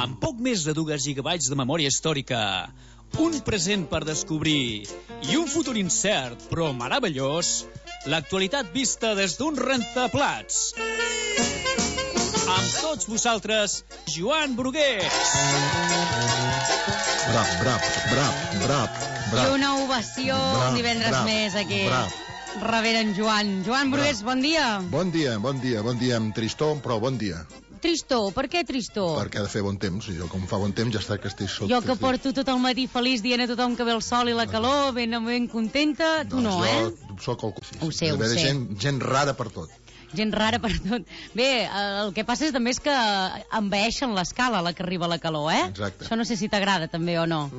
Amb poc més de 2 gigabytes de memòria històrica, un present per descobrir i un futur incert però meravellós, l'actualitat vista des d'un rentaplats. Amb tots vosaltres, Joan Brugués. Brap. I una ovació un divendres més aquí. Rebent en Joan. Joan Brugués, bon dia. Bon dia, amb tristor, però bon dia. Tristor, per què tristor? Perquè ha de fer bon temps, i jo com fa bon temps ja està que estic sota. Jo que porto tot el matí feliç dient a tothom que ve el sol i la calor, ben contenta, tu no, eh? Jo soc el... Ho sé. Gent rara per tot. Gent rara per tot. Bé, el que passa també és que envaeixen l'escala a la que arriba la calor, eh? Exacte. Això no sé si t'agrada també o no.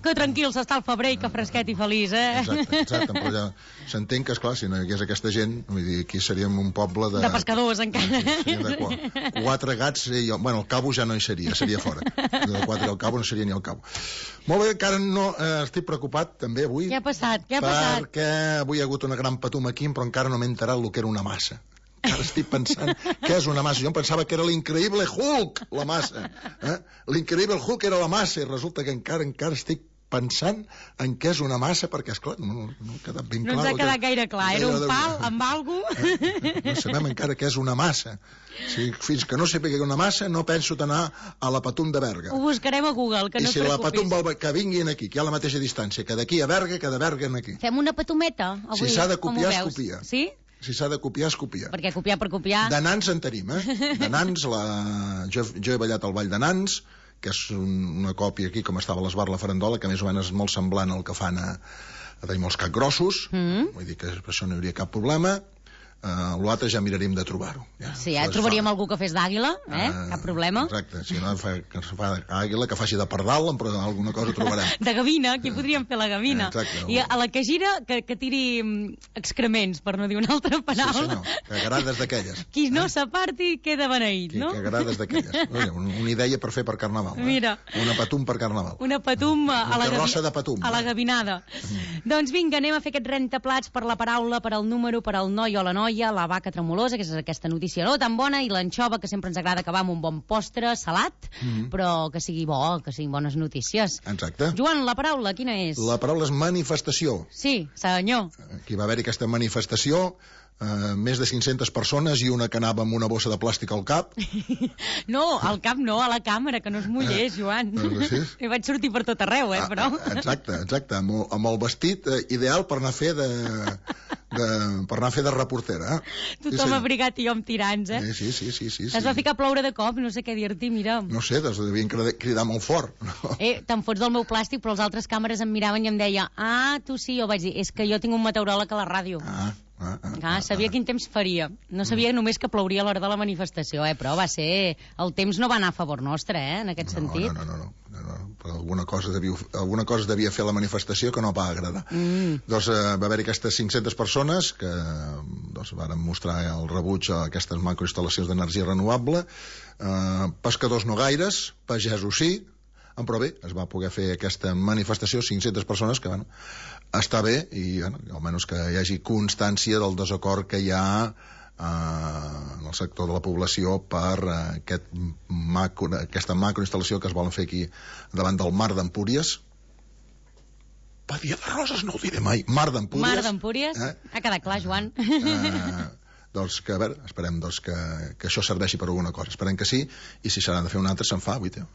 Que tranquil s'està al febrer i que fresquet i feliç, eh? Exacte, però ja s'entén que, esclar, si no hi hagués aquesta gent, vull dir, aquí seríem un poble de... De pescadors, encara. De 4 gats, bueno, el cabo ja no hi seria fora. De 4 al cabo no seria ni al cabo. Molt bé, encara no estic preocupat, també, avui. Què ha passat? Perquè avui hi ha hagut una gran patum aquí, però encara no m'he enterat el que era una massa. Encara estic pensant què és una massa. Jo em pensava que era l'Increïble Hulk, la massa. L'Increïble Hulk era la massa, i resulta que encara estic pensant en què és una massa, perquè, esclar, no ha quedat ben clar. No ens ha quedat gaire clar. Era un pal amb algú. No sabem encara què és una massa. Fins que no sàpiga una massa, no penso d'anar a la Patum de Berga. Ho buscarem a Google, que no et preocupis. I si la Patum vol que vinguin aquí, que hi ha la mateixa distància, que d'aquí a Berga, que de Berga aquí. Fem una patumeta, avui, si s'ha de copiar, es copia. Sí? Si s'ha de copiar, es copia. Perquè copiar per copiar... De Nans en tenim, De Nans, jo he ballat al Ball de Nans, que és una còpia aquí, com estava a l'Esbar la Farandola, que més o menys és molt semblant al que fan a tenir molts capgrossos, vull dir que per això no hi hauria cap problema. L'altre ja mirarem de trobar-ho. Sí, trobaríem algú que fes d'àguila, cap problema. Exacte, si no que fa àguila, que faci de pardal, però alguna cosa trobarem. De gavina, aquí podríem fer la gavina. Exacte. I a la que gira, que tiri excrements, per no dir una altra paraula. Sí, senyor, que agrades d'aquelles. Qui no s'aparti queda beneït, no? Que agrades d'aquelles. Una idea per fer per Carnaval. Mira. Una patum per Carnaval. Una patum a la carrossa de patum. A la gavinada. Doncs vinga, anem a fer aquest rentaplats per la paraula, per al número, per al noi o la noia, la vaca tremolosa, que és aquesta notícia no tan bona, i l'anxova, que sempre ens agrada acabar amb un bon postre salat, però que sigui bo, que siguin bones notícies. Exacte. Joan, la paraula, quina és? La paraula és manifestació. Sí, senyor. Aquí va haver-hi aquesta manifestació, més de 500 persones i una que anava amb una bossa de plàstic al cap. No, al cap no, a la càmera, que no es mullés, Joan. I vaig sortir per tot arreu, però... Exacte, amb el vestit ideal per anar a fer de reportera. Tothom abrigat i jo amb tirants, Sí. Es va ficar a ploure de cop, no sé què dir-t'hi, mira. No sé, devien cridar molt fort. Te'n fots del meu plàstic, però els altres càmeres em miraven i em deia, tu sí, jo vaig dir, és que jo tinc un meteoròleg a la ràdio. Sabia quin temps faria. No sabia només que plouria a l'hora de la manifestació, però va ser... El temps no va anar a favor nostre, en aquest sentit. No. Però alguna cosa devia fer la manifestació que no va agradar. Doncs va haver-hi aquestes 500 persones que varen mostrar el rebuig a aquestes macroinstal·lacions d'energia renovable. Pescadors no gaires, pagesos sí, però bé, es va poder fer aquesta manifestació, 500 persones que, està bé, i almenys que hi hagi constància del desacord que hi ha en el sector de la població per aquesta macroinstal·lació que es volen fer aquí davant del Mar d'Empúries. Badia de Roses, no ho diré mai. Mar d'Empúries. Mar d'Empúries. Ha quedat clar, Joan. Doncs que, a veure, esperem que això serveixi per alguna cosa. Esperem que sí, i si s'ha de fer un altre, se'n fa, vull dir.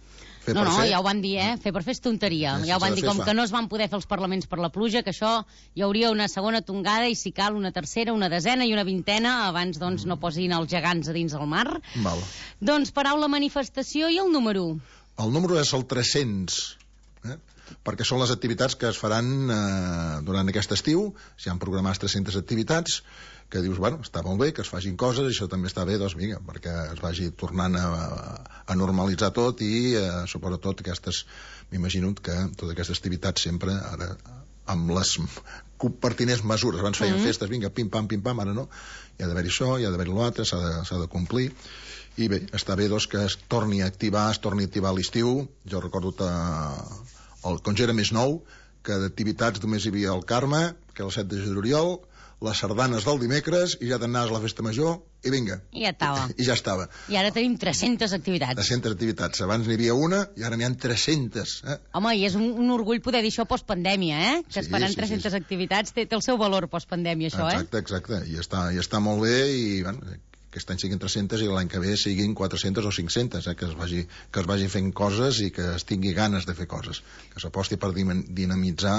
No, ja ho van dir, fer per fer és tonteria. Ja ho van dir, com que no es van poder fer els parlaments per la pluja, que això hi hauria una segona tongada i si cal una tercera, una desena i una vintena, abans doncs no posin els gegants a dins del mar. Val. Doncs paraula manifestació i el número? El número és el 300, perquè són les activitats que es faran durant aquest estiu. S'hi han programat 300 activitats que dius, està molt bé que es facin coses, això també està bé, doncs vinga, perquè es vagi tornant a normalitzar tot i sobretot aquestes, m'imagino que totes aquestes activitats sempre ara amb les pertinents mesures, abans feien festes, vinga, pim-pam, ara no, hi ha d'haver-hi això, hi ha d'haver-hi l'altre, s'ha de complir, i bé, està bé doncs que es torni a activar l'estiu. Jo recordo quan jo era més nou, que d'activitats només hi havia el Carme, que era el 7 de juliol, les sardanes del dimecres i ja t'anaves a la festa major i vinga. I ja estava. I ja estava. I ara tenim 300 activitats. 300 activitats. Abans n'hi havia una i ara n'hi ha 300. Home, i és un orgull poder dir això postpandèmia, que es faran 300 activitats. Té el seu valor postpandèmia, això, Exacte. I està molt bé i, bueno, aquest any siguin 300 i l'any que ve siguin 400 o 500, que es vagi fent coses i que es tingui ganes de fer coses, que s'aposti per dinamitzar,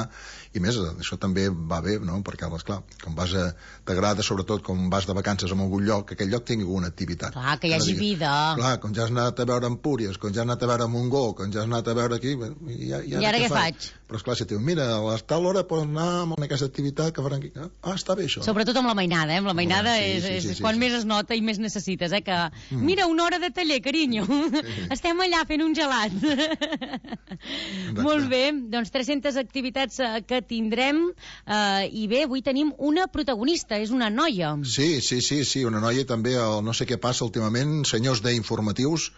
i més, això també va bé, no? Perquè, esclar, com t'agrada sobretot com vas de vacances a algun lloc, que aquell lloc tingui alguna activitat. Clar, que hi hagi vida. Clar, com ja has anat a veure Empúries, com ja has anat a veure Montgó, com ja has anat a veure aquí, i ara què faig? Però esclar, si et diu, mira, a tal hora pots anar amb aquesta activitat que faran aquí. Està bé això. Sobretot amb la mainada, amb la mainada és quan més es nota i més necessites, que mira, una hora de taller, carinyo. Estem allà fent un gelat. Molt bé, doncs 300 activitats que tindrem i bé, avui tenim una protagonista, és una noia. Sí, una noia també, no sé què passa últimament, senyors d'informatius,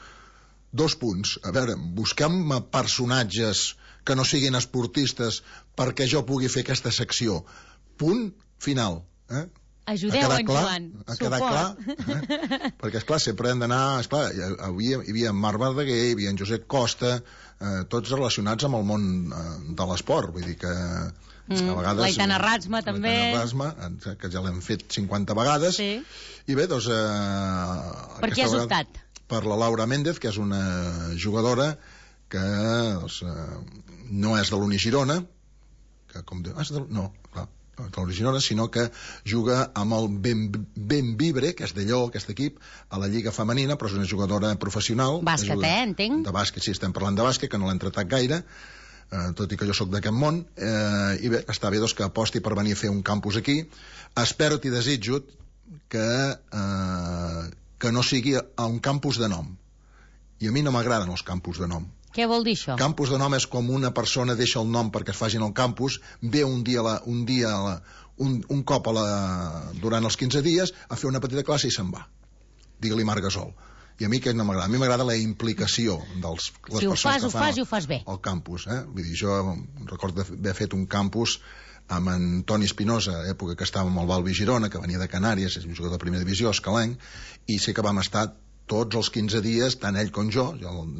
2 punts. A veure, busquem personatges que no siguin esportistes perquè jo pugui fer aquesta secció. Punt final. Ajudeu en Joan. A quedar clar. Perquè, esclar, sempre hem d'anar... Esclar, avui hi havia en Marc Verdaguer, hi havia en Josep Costa, tots relacionats amb el món de l'esport. Vull dir que... a vegades... L'Aitana Rasma, també. L'Aitana Rasma, que ja l'hem fet 50 vegades. Sí. I bé, doncs... Per què has optat? Per la Laura Méndez, que és una jugadora que no és de l'Uni Girona, que com diu... No, clar, no és de l'Uni Girona, sinó que juga amb el Benvibre, que és de Lleó, aquest equip, a la Lliga Femenina, però és una jugadora professional. Bàsquet, entenc? De bàsquet, sí, estem parlant de bàsquet, que no l'hem tratat gaire, tot i que jo sóc d'aquest món, i bé, està bé doncs, que aposti per venir a fer un campus aquí. Espero i desitjo que no sigui a un campus de nom. I a mi no m'agraden els campus de nom. Què vol dir això? Campus de nom és com una persona deixa el nom perquè es facin al campus, ve un cop durant els 15 dies a fer una petita classe i se'n va. Digue-li Marc Gasol. I a mi què no m'agrada? A mi m'agrada la implicació de les persones que fan ho fas bé. El campus. Vull dir, jo recordo d'haver fet un campus amb en Toni Espinosa, època que estava amb el Balbi Girona, que venia de Canàries, és un jugador de primera divisió, escalenc, i sé que vam estar tots els 15 dies, tant ell com jo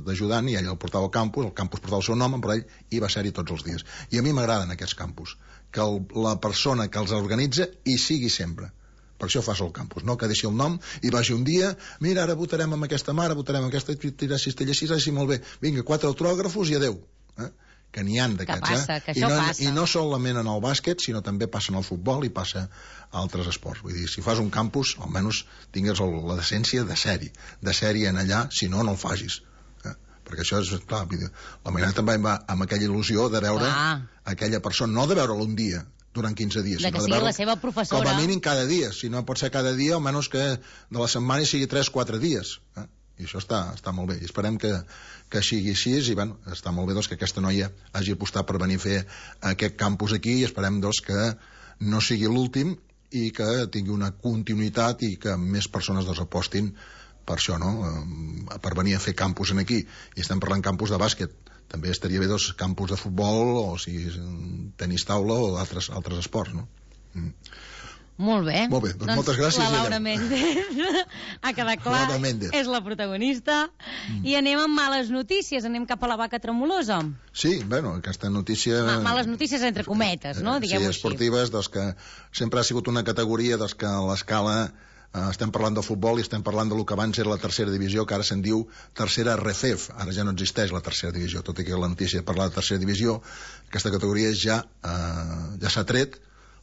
d'ajudant, i ell el portava al campus portava el seu nom, però ell hi va ser-hi tots els dies. I a mi m'agraden aquests campus, que la persona que els organitza hi sigui sempre. Per això fas el campus, no que deixi el nom i vagi un dia, mira, ara votarem amb aquesta mare, votarem amb aquesta, tirar cistella així, així, molt bé, vinga, 4 autògrafos i adeu. Que n'hi ha d'aquests, que passa. I no solament en el bàsquet, sinó també passa en el futbol i passa a altres esports. Vull dir, si fas un campus, almenys tingues la decència de ser-hi en allà, si no, no el facis. Perquè això és, clar, la Mainada també va amb aquella il·lusió de veure aquella persona, no de veure-la un dia, durant 15 dies. De que sigui la seva professora. Com a mínim cada dia, si no pot ser cada dia, almenys que de la setmana sigui 3-4 dies. I això està molt bé, i esperem que sigui així, i bueno, està molt bé doncs, que aquesta noia hagi apostat per venir a fer aquest campus aquí, i esperem doncs, que no sigui l'últim i que tingui una continuïtat i que més persones doncs, apostin per això, no? Per venir a fer campus aquí. I estem parlant campus de bàsquet, també estaria bé doncs, campus de futbol o si tenis taula o altres esports, no? Molt bé. Molt bé, doncs moltes gràcies. La Laura Méndez ha quedat clar, és la protagonista. I anem amb males notícies, anem cap a la vaca tremolosa. Sí, bueno, aquesta notícia... Males notícies entre cometes, no? Diguem-ho així. Sí, esportives, doncs que sempre ha sigut una categoria doncs, que a l'escala estem parlant de futbol i estem parlant del que abans era la tercera divisió, que ara se'n diu tercera RFEF. Ara ja no existeix la tercera divisió, tot i que la notícia parla de tercera divisió. Aquesta categoria ja s'ha tret.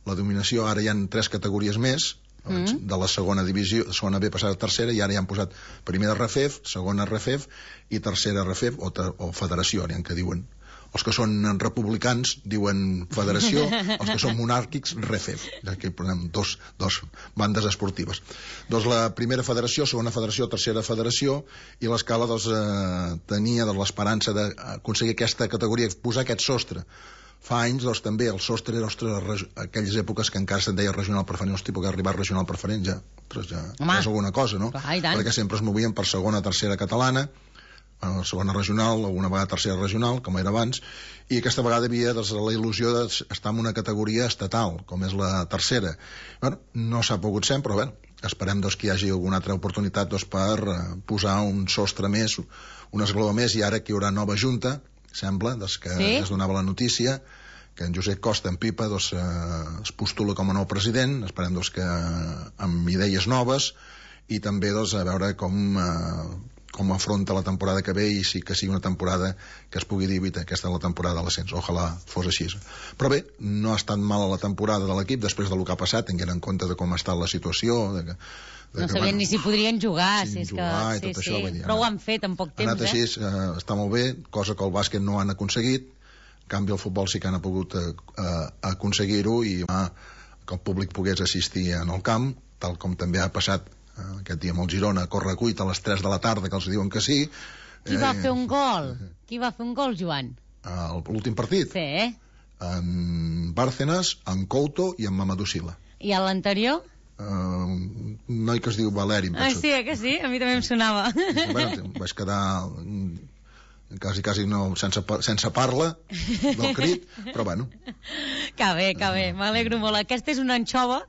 La dominació, ara hi ha 3 categories més, de la segona divisió, segona B passada a tercera, i ara ja han posat primera RFEF, segona RFEF i tercera RFEF o federació, n'hi ha que diuen. Els que són republicans diuen federació, els que són monàrquics RFEF. Aquí posem dos bandes esportives. Doncs la primera federació, segona federació, tercera federació, i l'escala tenia l'esperança d'aconseguir aquesta categoria, posar aquest sostre. Fa anys, doncs, també, el sostre era, aquelles èpoques que encara se'n deia regional preferent, hosti, perquè arribar a regional preferent ja és alguna cosa, no? Clar, perquè sempre es movien per segona, tercera catalana, segona regional, alguna vegada tercera regional, com era abans, i aquesta vegada havia la il·lusió d'estar en una categoria estatal, com és la tercera. Bueno, no s'ha pogut ser, però bé, esperem que hi hagi alguna altra oportunitat per posar un sostre més, un esglaó més, i ara que hi haurà nova junta, sembla, que es donava la notícia, que en Josep Costa, en Pipa, es postula com a nou president, esperem que amb idees noves, i també a veure com afronta la temporada que ve, i sí que sigui una temporada que es pugui dir, aquesta és la temporada de l'ascens, ojalà fos així. Però bé, no ha estat mala la temporada de l'equip després del que ha passat, tenint en compte de com ha estat la situació, no sabien ni si podrien jugar, això, però ho han fet en poc temps. Ha anat així, està molt bé, cosa que el bàsquet no han aconseguit. En canvi el futbol sí que han pogut aconseguir-ho, i que el públic pogués assistir en el camp, tal com també ha passat aquest dia amb el Girona, a correcuita a les 3 de la tarda, que els diuen que sí. Qui va fer un gol? Qui va fer un gol, Joan? L'últim partit? Sí. En Bárcenas, en Couto i en Mamadou Sila. I a l'anterior? Un noi que es diu Valeri. Sí, que sí? A mi també em sonava. Bueno, vaig quedar quasi no, sense parla del crit, però bueno. Que bé, m'alegro molt. Aquesta és una anxova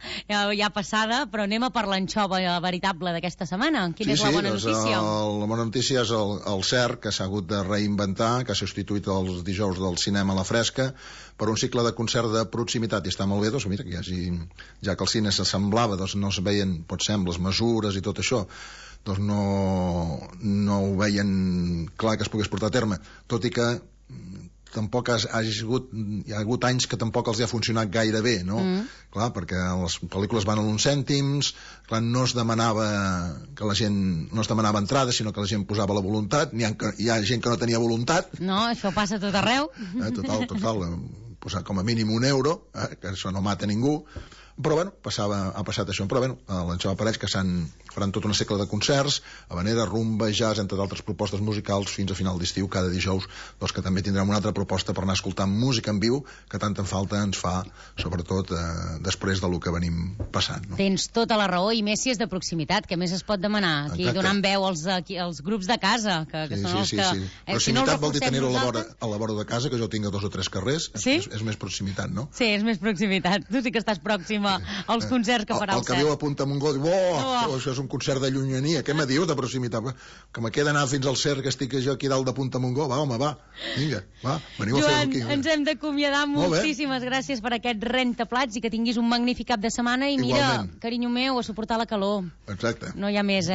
ja passada, però anem a per l'anxova veritable d'aquesta setmana. Quina és la bona notícia? La bona notícia és el CERC, que s'ha hagut de reinventar, que ha substituït els dijous del cinema a la fresca per un cicle de concert de proximitat, i està molt bé, mira, que ja que el cine s'assemblava, no es veien, potser, amb les mesures i tot això, no ho veien clar que es pogués portar a terme, tot i que tampoc hi ha hagut anys que tampoc els ha funcionat gaire bé, no? Clar, perquè les pel·lícules van a uns cèntims, clar, no es demanava entrada, sinó que la gent posava la voluntat. Hi ha gent que no tenia voluntat. No, això passa tot arreu. Total, posar com a mínim €1, que això no mata ningú. Però bueno, ha passat això. Però bueno, l'Anxova Parets, que faran tota una cicle de concerts, habanera, rumba, jazz, entre d'altres propostes musicals, fins a final d'estiu, cada dijous, que també tindrem una altra proposta per anar escoltant música en viu, que tanta falta ens fa, sobretot després del que venim passant. No? Tens tota la raó, i més si és de proximitat, que més es pot demanar. Aquí donant veu als grups de casa, que són els que... Sí. Proximitat vol dir tenir-ho a la vora de casa, que jo tinc a 2 o 3 carrers. És més proximitat, no? Sí, és més proximitat. Tu sí que estàs pròxima als concerts que farà el CERC. El que viu a Punta Montgó diu, això és un concert de llunyania, què me dius de proximitat? Que me queda anar fins al CERC, que estic jo aquí dalt de Punta Montgó, vinga, veniu a fer-ho aquí. Joan, ens hem d'acomiadar. Moltíssimes gràcies per aquest rentaplats, i que tinguis un magnífic cap de setmana, i mira, carinyo meu, a suportar la calor. Exacte. No hi ha més,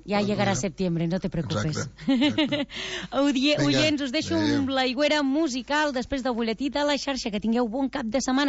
Ja llegarà setembre, no te preocupes. Oients, us deixo amb l'aigüera musical després del butlletí de la xarxa. Que tingueu bon cap de setmana.